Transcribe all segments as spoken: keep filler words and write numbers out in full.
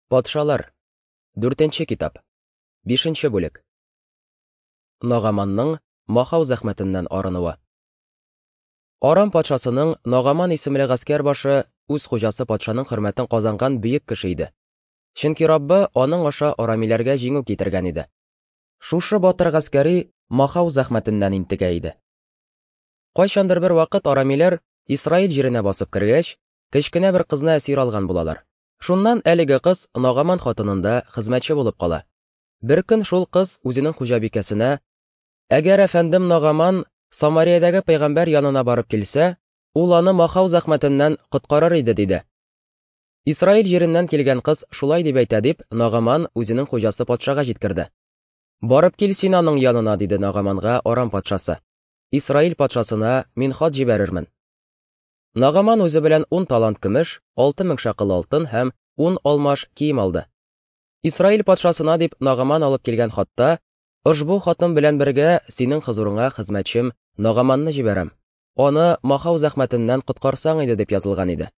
Патшалар. Дүртенче китап. Бишенче бүлек. Нагаманның махау зәхмәтеннән арынуы. Арам патшасының Нагаман исемле гаскәр башы үз хуҗасы патшаның хөрмәтен казанган бөек кеше иде. Чөнки Раббы аның аша арамиләргә җиңү китергән иде. Шушы батыр гаскәри махау зәхмәтеннән интегә иде. Кайчандыр бер вакыт арамиләр Исраил җиренә басып кергәч, кечкенә бер кызны әсир алган булалар. Шуннан әлеге кыз Нагаман хатынында хезмәтче булып кала. Бер көн шул кыз үзенең хуҗабикәсенә: "Әгәр әфәндем Нагаман Самариядәге пәйгамбәр янына барып килсә, ул аны махау зәхмәтеннән коткарыр иде", диде. Исраил җиреннән килгән кыз шулай дип әйтә дип, Нагаман үзенең хуҗасы патшага җиткерде. "Барып кил син аның янына", диде Нагаманга Арам патшасы. "Исраил патшасына мин хат җибәрермен". Нагаман үзе белән ун талант көмеш, алты мең шәкел алтын һәм ун алмаш кием алды. Исраил патшасына дип Нагаман алып килгән хатта: "Ошбу хатым белән бергә синең хозурыңа хезмәтчем Нагаманны җибәрәм. Аны махау зәхмәтеннән коткарсаң иде", дип язылган иде.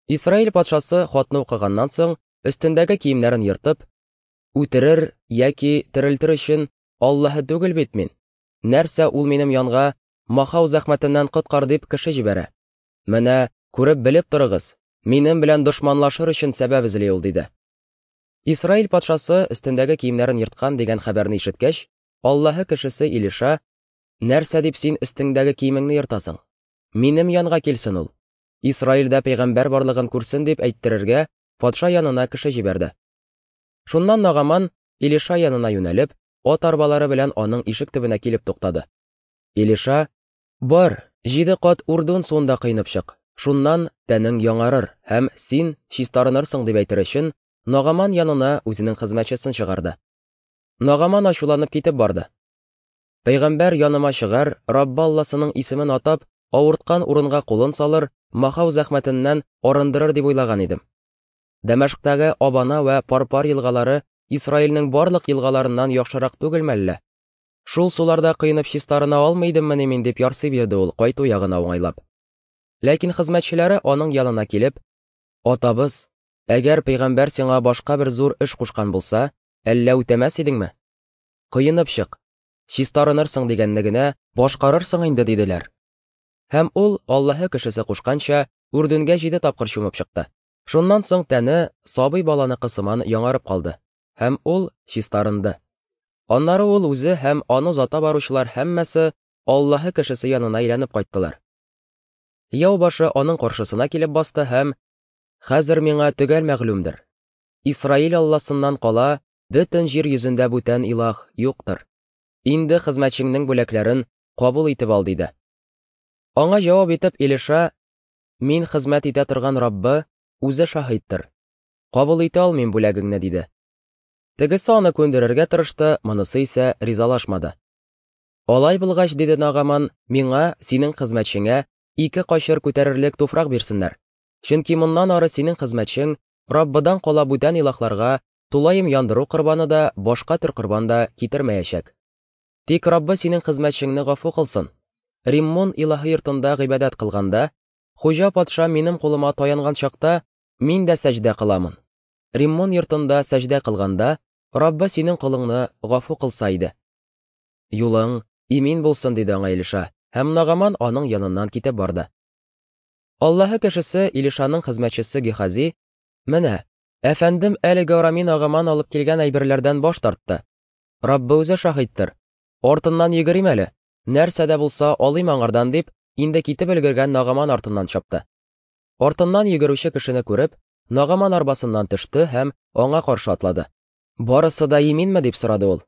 Исраил патшасы хатны укыганнан соң, өстендәге киемнәрен ертып: "Үтерер яки терелтер өчен Аллаһы түгел бит мин. Нәрсә ул минем янга махау зәхмәтеннән коткар дип кеше җибәрә? Менә күреп белеп торыгыз, минем белән дошманлашыр өчен сәбәп эзли ул", диде. Исраил патшасы өстендәге киемнәрен ерткан дигән хәбәрне ишеткәч, Аллаһы кешесе Илиша: "Нәрсә дип син өстеңдәге киемеңне ертасың? Минем янга килсен ул. Исраилдә пәйгамбәр барлыгын күрсен", дип әйттерергә патша янына кеше җибәрде. Шуннан Нагаман Илиша янына юнәлеп, ат арбалары белән аның ишек төбенә килеп туктады. Илиша: "Бар, җиде кат Урдун суында коенып чык. Шуннан тәнең яңарыр һәм син чистарынырсың", дип әйтер өчен Нагаман янына үзенең хезмәтчесен чыгарды. Нагаман ачуланып китеп барды. "Пәйгамбәр яныма чыгар, Раббы Алласының исемен атап, авырткан урынга кулын салыр, махау зәхмәтеннән арындырыр дип уйлаган идем. Дәмәшктәге Абана вә Парпар елгалары Исраилнең барлык елгаларыннан яхшырак түгелме әллә? Шул суларда коенып чистарына алмый идеммени мин", дип ярсый бирде ул кайту ягына уңайлап. Ләкин хезмәтчеләре аның янына килеп: "Атабыз, әгәр пәйгамбәр сиңа башка бер зур эш кушкан булса, әллә үтәмәс идеңме? Коенып чык, чистарынырсың дигәнне генә башкарырсың инде", диделәр. Һәм ул Аллаһы кешесе кушканча Үрдүнгә җиде тапкыр чумып чыкты. Шуннан соң тәне сабый баланыкы сыман яңарып калды, һәм ул чистарынды. Аннары ул үзе һәм аны озата баручылар һәммәсе Аллаһы кешесе янына әйләнеп кайттылар. Яу башы аның каршысына килеп басты һәм: "Хәзер миңа төгәл мәгълүмдер: Исраил Алласыннан кала бөтен җир йөзендә бүтән илаһ юктыр. Инде хезмәтчеңнең бүләкләрен кабул итеп ал", диде. Аңа җавап итеп Илиша: "Мин хезмәт итә торган Раббы үзе шаһиттыр. Кабул итә алмыйм бүләгеңне", диде. Тегесе аны күндерергә тырышты, монысы исә ризалашмады. "Алай булгач, диде Нагаман, миңа, синең хезмәтчеңә, ике качыр күтәрерлек туфрак бирсеннәр. Чөнки моннан ары синең хезмәтчең Раббыдан кала бүтән илаһларга тулаем яндыру корбаны да, башка төр корбан да китермәячәк. Тик Раббы синең хезмәтчеңне гафу кылсын. Риммон илаһы йортында гыйбадәт кылганда, хуҗа патша минем кулыма таянган чакта, мин дә сәҗдә кыламын. Риммон йортында сәҗдә кылганда, Раббы синең колыңны гафу кылса иде. Юлың имин булсын", диде аңа Илиша, һәм Нагаман аның яныннан китеп барды. Аллаһы кешесе Илишаның хезмәтчесе Гехази: "Менә, әфәндем әлеге арами Нагаман алып килгән әйберләрдән баш тартты. Раббы үзе шаһиттыр. Артыннан йөгерим әле, нәрсә дә булса алыйм аңардан", дип, инде китеп өлгергән Нагаман артыннан чапты. Артыннан йөгерүче кешене күреп, Нагаман арбасыннан төште һәм аңа каршы атлады. "Барысы да иминме?" дип сорады ул.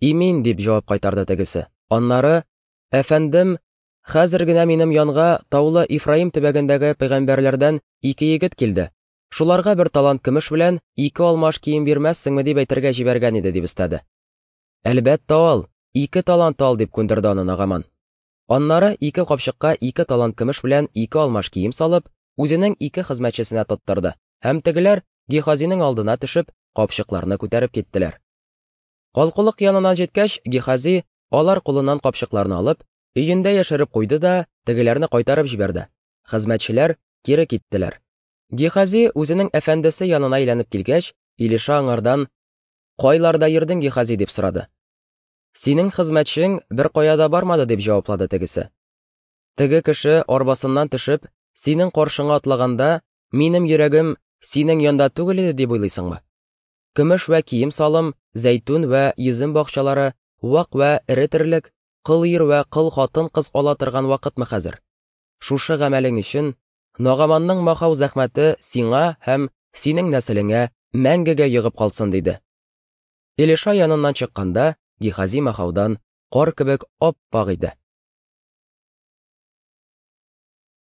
"Имин", дип җавап кайтарды тегесе. Аннары: "Әфәндем, хәзер генә минем янга таулы Ифраим төбәгендәге пәйгамбәрләрдән ике егет килде. Шуларга бер талант көмеш белән ике алмаш кием бирмәссеңме дип әйтергә җибәргән иде", дип өстәде. "Әлбәттә ал, ике талант ал", дип күндерде аны Нагаман. Аннары ике капчыкка ике талант көмеш белән ике алмаш кием салып, үзенең ике хезмәтчесенә тоттырды, һәм тегеләр Гехазиның алдына төшеп, капчыкларны күтәреп киттеләр. Калкулык янына җиткәч, Гехази алар кулыннан капчыкларны алып, өендә яшереп куйды да, тегеләрне кайтарып җибәрде. Хезмәтчеләр кире киттеләр. Гехази үзенең әфәндесе янына әйләнеп килгәч, Илиша аңардан: "Кайларда йөрдең, Гихази?" – дип сорады. "Синең хезмәтчең беркая да бармады", – дип җаваплады тегесе. "Теге кеше арбасыннан төшеп, синең каршыңа атлаганда, минем йөрәгем синең янда түгел иде дип уйлыйсыңмы? Көмеш вә кием-салым, зәйтүн вә йөзем бакчалары, вак вә эре терлек, кол ир вә кол хатын-кыз ала торган вакытмы хәзер? Шушы гамәлең өчен Нагаманның махау зәхмәте сиңа һәм синең нәселеңә мәңгегә йогып калсын", – диде. Илиша яныннан чыкканда, Гихази махаудан кар кебек ап-ак иде.